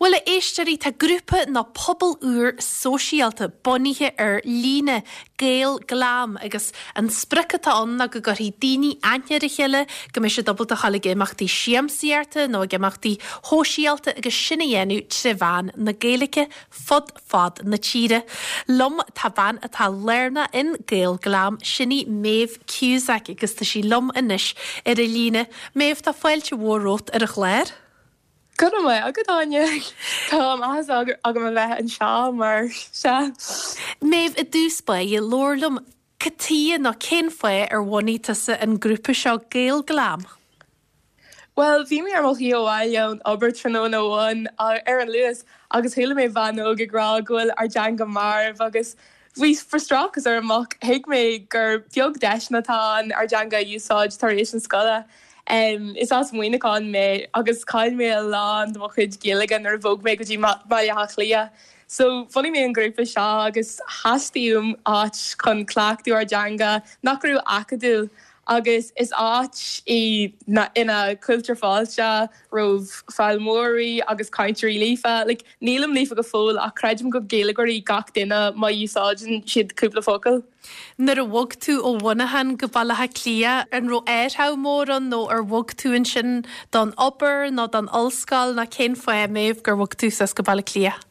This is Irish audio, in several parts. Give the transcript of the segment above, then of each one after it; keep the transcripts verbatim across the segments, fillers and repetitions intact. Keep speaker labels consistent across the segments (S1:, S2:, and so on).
S1: Bhuel a éisteoirí tá grúpa nó pobal úr sóisialta bunaithe ar líne Gael Glam agus an sprioc atá ann ná go gcuirfidh daoine aithne ar a chéile go mbeidh siad ábalta a ghabháil ag imeachtaí siamsaíochta nó ag imeachtaí sóisialta agus sin a dhéanamh trí mheán na Gaeilge fud fad na tíre. Liom tá bean atá lárnach in Gael Glam sin í Maeve Cusack agus tá sí liom anois ar an líne. Maeve tá fáilte mhór romhat ar an chlár.
S2: Go maith agat Áine Tá áthas agam a bheith anseo mar sea.
S1: Maeve i dtús báire labhair liom cad chuige nó cén fáth ar bhunaigh tusa an grúpa seo Gael Glam.
S2: Well, bhí mé ar mo shlí abhaile ón obair tráthnóna amháin ar an Luas agus chuala mé bean óg ag rá go bhfuil ár dteanga marbh agus bhí frustrachas orm ach thuig mé gur beag deiseanna atá ann ár dteanga a úsáid tar éis an scoile. Um, is as Muineachán mé agus chaill mé a lán de mo chuid Gaeilge nuair a bhog mé go dtí Baile Átha Cliath. So bhunaigh mé an grúpa seo agus theastaigh uaim áit chun cleachtadh ár dteanga nach raibh acadúil agus is áit í ina gcuirtear fáilte roimh foghlaimeoirí agus cainteoirí líofa, like, nílim líofa go fóill ach creidim go Gaeilgeoirí gach duine má úsáideann siad cúpla focal.
S1: Nuair a bhog tú ó Mhuineachán go Baile Átha Cliath an raibh athrú mór ann nó ar bhog tú ansin don obair nó don ollscoil nó cén fáth Maeve gur bhog tú suas go Baile Átha Cliath.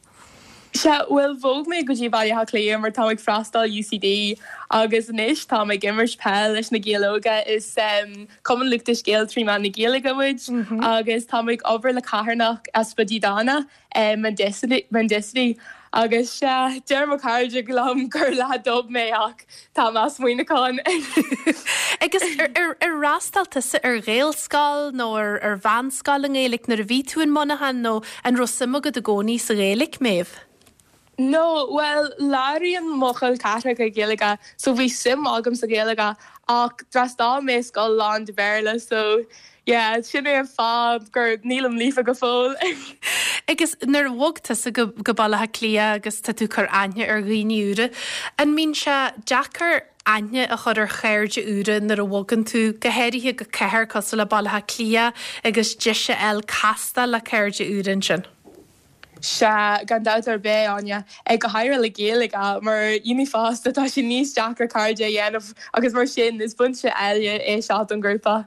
S2: Sea bhuel bhog mé go dtí Baile Átha Cliath mar tá ag freastal UCD agus anois tá ag imirt peil leis na Gaeil Óga is um, Cumann Lúthchleas Gael trí mheán na Gaeilge muid mm -hmm. agus tá ag obair le carthanacht easpa dídeana um, Mendicity agus uh, deir mo chairde liom gur leath dub mé ach tá as Muineachán.
S1: Agus ar fhreastail tusa ar Ghaelscoil nó ar ar mheánscoil i nGaeilge nuair a bhí tú in Muineachán nó an raibh suim agat i gcónaí sa Ghaeilge Maeve.
S2: No, well labhraíonn mo chol ceathracha Gaeilge, so bhí suim agam sa Ghaeilge ach d'fhreastail mé scoil lán de Bhéarla, so yeah, sin é an fáth gur nílim líofa go fóill.
S1: Agus nuair a bhog tusa go go Baile Átha Cliath agus tá tú ag cur aithne ar dhaoine úra, an mbíonn sé deacair aithne a chur ar chairde úra nuair a bhogann tú go háirithe go cathair cosúil le Baile Átha Cliath agus deis a fháil castáil le cairde úra ansin.
S2: Sea gan dabht ar bith Áine ag go háirithe le Gaeilge mar dhaoine fásta tá sé níos deacra cairde a dhéanamh agus mar sin is buntáiste eile é seo don grúpa.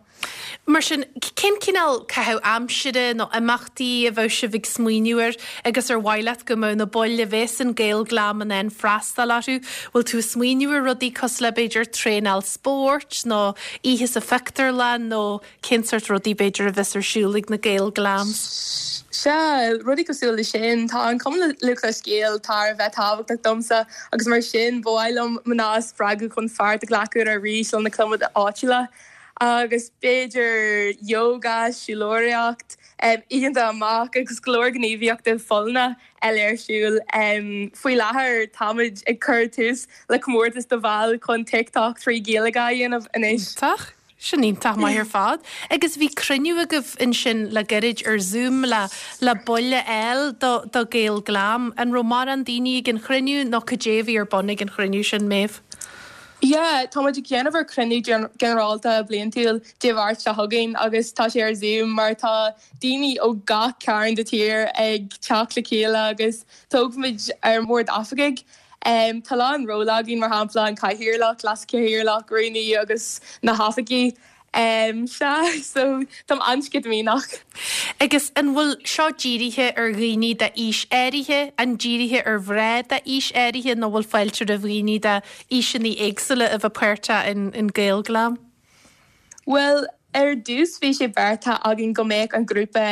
S1: Mar sin cén cineál caitheamh aimsire nó imeachtaí a bheadh sibh ag smaoineamh air agus ar mhaith leat go mbeadh na baill a bheas in Gael Glam in ann freastal orthu, bhfuil tú smaoineamh ar rudaí cosúil le b'fhéidir traenáil spóirt nó oíche sa phictiúrlann nó cén sórt rudaí b'fhéidir a bheas ar siúl ag na Gael Glams.
S2: Sea rudaí cosúil le sin tá an Cumann Lúthchleas Gael thar a bheith tábhachtach domsa agus mar sin ba mhaith liom mná a spreagadh chun páirt a ghlacadh arís le na clubanna áitiúla. agus b'fhéidir yoga, siúlóireacht, um, oícheanta amach agus go leor gníomhaíochtaí folláine eile ar siúl. Um, faoi láthair táimid ag cur tús le comórtas do bhaill chun TikTok trí Ghaeilge a dhéanamh anois.
S1: Iontach. Sin iontach maith ar fad. Agus bhí cruinniú agaibh ansin le gairid ar Zoom le le baill eile do do Gael Glam an raibh mórán daoine ag an chruinniú nó cad é a bhí ar bun ag an chruinniú sin Maeve.
S2: Yeah, tá ag déanamh ar cruinniú ginearálta bliantúil Dé Máirt seo chugainn agus tá sé ar Zoom mar tá daoine ó gach cearn den tír ag teacht le chéile agus toghfaimid ár mbord oifigigh. Um, tá an ról againn mar shampla an cathaoirleach, leaschathaoirleach, rúnaí agus na hoifigigh. Um, sea so tá an-sceitimíneach.
S1: Agus an bhfuil seo dírithe ar dhaoine d'aois áirithe, an dírithe ar mhná d'aois áirithe nó bhfuil fáilte roimh dhaoine d'aoiseanna éagsúla a bheith páirteach in, in Gael Glam?
S2: Well, ar dtús bhí sé beartaithe againn go mbeadh an grúpa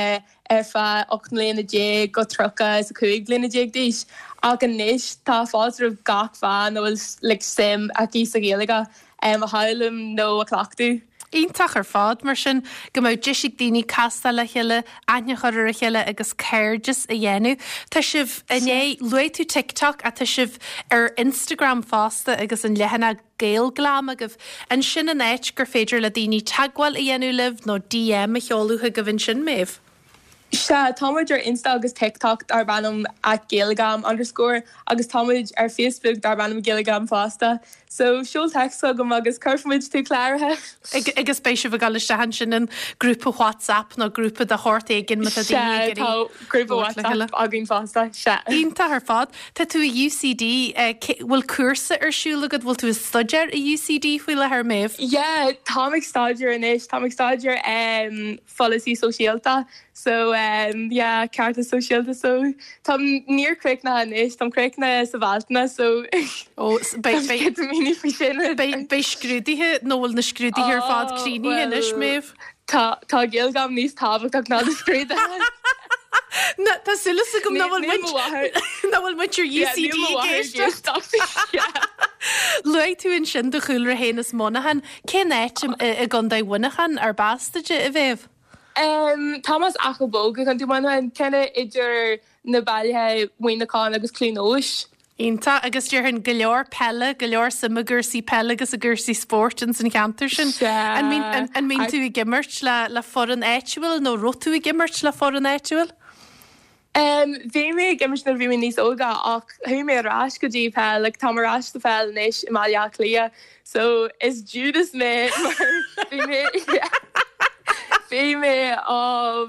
S2: ar feadh ocht mbliana déag go tríocha is a cúig bliana déag d'aois ach anois tá fáilte roimh gach bean a bhfuil like, suim aici sa Ghaeilge um, a fhoghlaim nó a chleachtadh.
S1: Iontach ar fad mar sin go mbeadh deis ag daoine castáil le chéile, aithne a chur ar a chéile agus cairdeas a dhéanamh. Tá sibh inné luaigh tú TikTok ach tá sibh ar Instagram fosta agus an leathanach Gael Glam agaibh. Ansin an áit gur féidir le daoine teagmháil a dhéanamh libh nó DM a sheoladh chugaibh ansin Maeve.
S2: Sea, táimid ar Insta agus TikTok darb ainm at Gaelglam underscore agus táimid ar Facebook darb ainm Gaelglam fosta. So seol text chugam agus cuirfimid tú cláraithe.
S1: Agus beidh sibh ag dul isteach ansin in grúpa WhatsApp nó grúpa de shórt éigin má tá daoine ag
S2: iarraidh Tá grúpa WhatsApp againn fosta, sea.
S1: Iontach ar fad. Tá tú i UCD, bhfuil cúrsa ar siúl agat, bhfuil tú ag staidéar i UCD faoi láthair, Méabh?
S2: Yeah, táim ag staidéar anois, táim ag staidéar pholasaí sóisialta so um, yeah, cearta sóisialta so Tá níor críochnaithe anois, Táim críochnaithe sa Bhealtaine so
S1: Ó,
S2: míní faoi sin.
S1: Beidh scrúduithe nó bhfuil na scrúduithe ar fad críochnaithe anois, Méabh?
S2: Tá tá Gaelglam níos tábhachtach ná na scrúduithe.
S1: Na tá súil agam nach bhfuil nach bhfuil muintir UCD ag éisteacht. Luaigh tú ansin do chúlra féin as Muineachán, cén áit i gContae Mhuineacháin arb as duit a Mhéabh?
S2: Um, Táim as Achadh Bó i gContae Mhuineacháin ceann idir na bailthe Muineachán agus Cluain Eois.
S1: Iontach agus déarfainn go leor peile, go leor suim i gcúrsaí peile agus i gcúrsaí spóirt ins an cheantar sin. An mbíonn tú ag imirt le le foireann áitiúil nó raibh tú ag imirt le foireann áitiúil?
S2: Um, bhí mé ag imirt nuair bhí mé níos óga ach chuaigh mé ar ais go dtí peil, like, táim ar ais sa pheil anois i mBaile Átha Cliath, so is Judas mé mar bhí mé bhí mé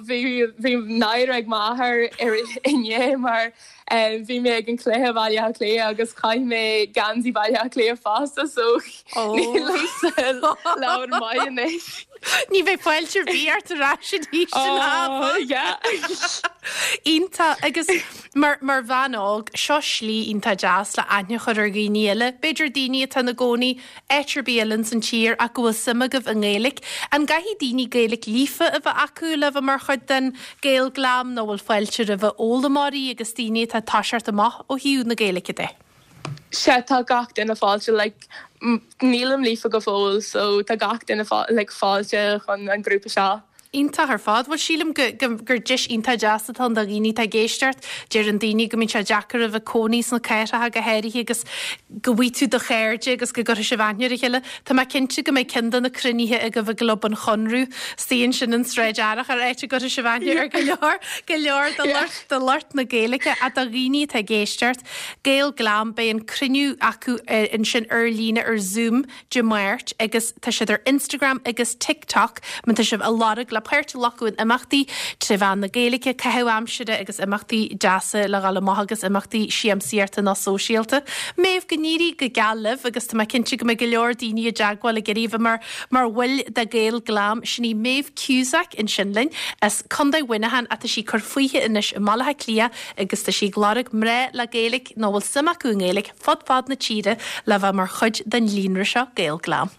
S2: bhí bhí náire ag m'athair ar inné mar um, bhí mé ag an cluiche Baile Átha Cliath agus chaith mé geansaí Baile Átha Cliath fosta so nílimse maith anois.
S1: Ní bheidh fáilte ar bith ort ar ais arís
S2: Oh, yeah.
S1: Iontach agus mar mar bhean óg seo slí iontach deas le aithne a chur ar dhaoine eile. B'fhéidir daoine atá ina gcónaí áit ar bith eile san tír ach go bhfuil suim agaibh i nGaeilge. An gcaithfidh daoine Gaeilge líofa a bheith acu le bheith mar chuid den Gaelglam nó bhfuil fáilte roimh fhoghlaimeoirí agus daoine atá ag toiseacht amach ó thaobh na Gaeilge de.
S2: Sea tá gach duine fáilte like, nílim líofa go fóill so tá gach duine like, fáilte chun an grúpa seo.
S1: Iontach ar fad, bhuel sílim gur deis iontach deas atá ann do dhaoine atá ag éisteacht, deireann daoine go mbíonn sé deacair a bheith cónaí sna cathracha go háirithe agus go bhfaighidh tú do chairde agus go gcuirfidh sibh aithne ar a chéile. Tá mé cinnte go mbeidh ceann de na cruinnithe agaibh i gClub an Chonradh istigh ansin in Sráid Fharrach ar áit a gcuirfidh sibh aithne ar go leor go leor de lucht de lucht na Gaeilge ach do dhaoine atá ag éisteacht. Gaelglam beidh an cruinniú acu ansin ar líne ar Zoom Dé Máirt agus tá siad ar Instagram agus TikTok má tá sibh ag lorg le páirt a ghlacadh in imeachtaí trí mheán na Gaeilge, caitheamh aimsire agus imeachtaí deasa le dhul amach agus imeachtaí siamsaíochta nó sóisialta. Méabh go n-éirí go geal libh agus tá mé cinnte go mbeidh go leor daoine i dteagmháil ag iarraidh bheith mar mar bhaill de Gaelglam sin í Méabh Cusack ansin linn as Contae Mhuineacháin ach tá sí ag cur fúithi anois i mBaile Átha Cliath agus tá sí ag lorg mná le Gaeilge nó bhfuil suim acu i nGaeilge fud fad na tíre le bheith mar chuid den líonra seo Gaelglam.